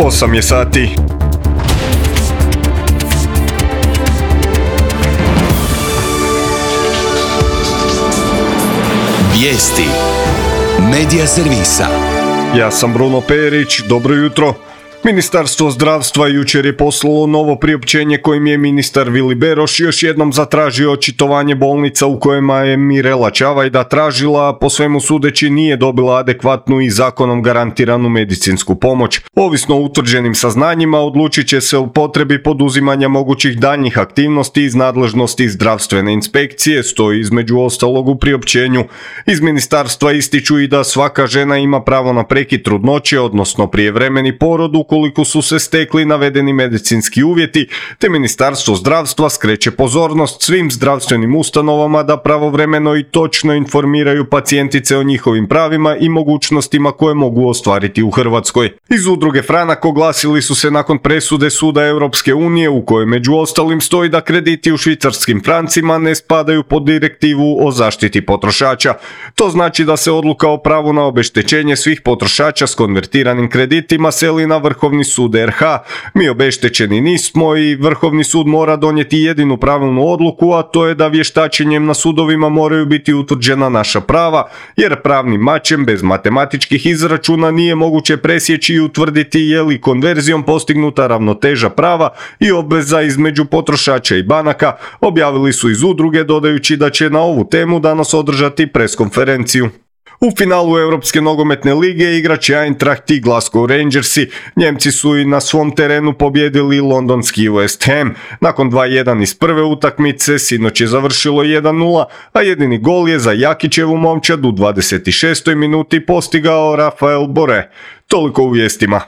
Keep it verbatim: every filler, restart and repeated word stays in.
osam je sati. Vijesti Medija servisa. Ja sam Bruno Perić, dobro jutro. Ministarstvo zdravstva jučer je poslalo novo priopćenje kojim je ministar Vili Beroš još jednom zatražio očitovanje bolnica u kojima je Mirela Čavajda tražila, a po svemu sudeći nije dobila adekvatnu i zakonom garantiranu medicinsku pomoć. Ovisno o utvrđenim saznanjima odlučit će se o potrebi poduzimanja mogućih daljnjih aktivnosti iz nadležnosti zdravstvene inspekcije, stoji između ostalog u priopćenju. Iz ministarstva ističu i da svaka žena ima pravo na prekid trudnoće, odnosno prijevremeni porod ukoliko su se stekli navedeni medicinski uvjeti, te Ministarstvo zdravstva skreće pozornost svim zdravstvenim ustanovama da pravovremeno i točno informiraju pacijentice o njihovim pravima i mogućnostima koje mogu ostvariti u Hrvatskoj. Iz udruge Franak oglasili su se nakon presude Suda Europske unije u kojoj među ostalim stoji da krediti u švicarskim francima ne spadaju pod direktivu o zaštiti potrošača. To znači da se odluka o pravu na obeštećenje svih potrošača s konvertiranim kreditima seli na Vrhovni sud er ha. Mi obeštećeni nismo i Vrhovni sud mora donijeti jedinu pravilnu odluku, a to je da vještačenjem na sudovima moraju biti utvrđena naša prava, jer pravnim mačem bez matematičkih izračuna nije moguće presjeći i utvrditi je li konverzijom postignuta ravnoteža prava i obveza između potrošača i banaka, objavili su iz udruge dodajući da će na ovu temu danas održati preskonferenciju. U finalu Europske nogometne lige igraće Eintracht i Glasgow Rangersi. Njemci su i na svom terenu pobjedili londonski West Ham. Nakon dva jedan iz prve utakmice sinoć je završilo jedan nula, a jedini gol je za Jakićevu momčad u dvadeset šestoj minuti postigao Rafael Borre. Toliko u vijestima.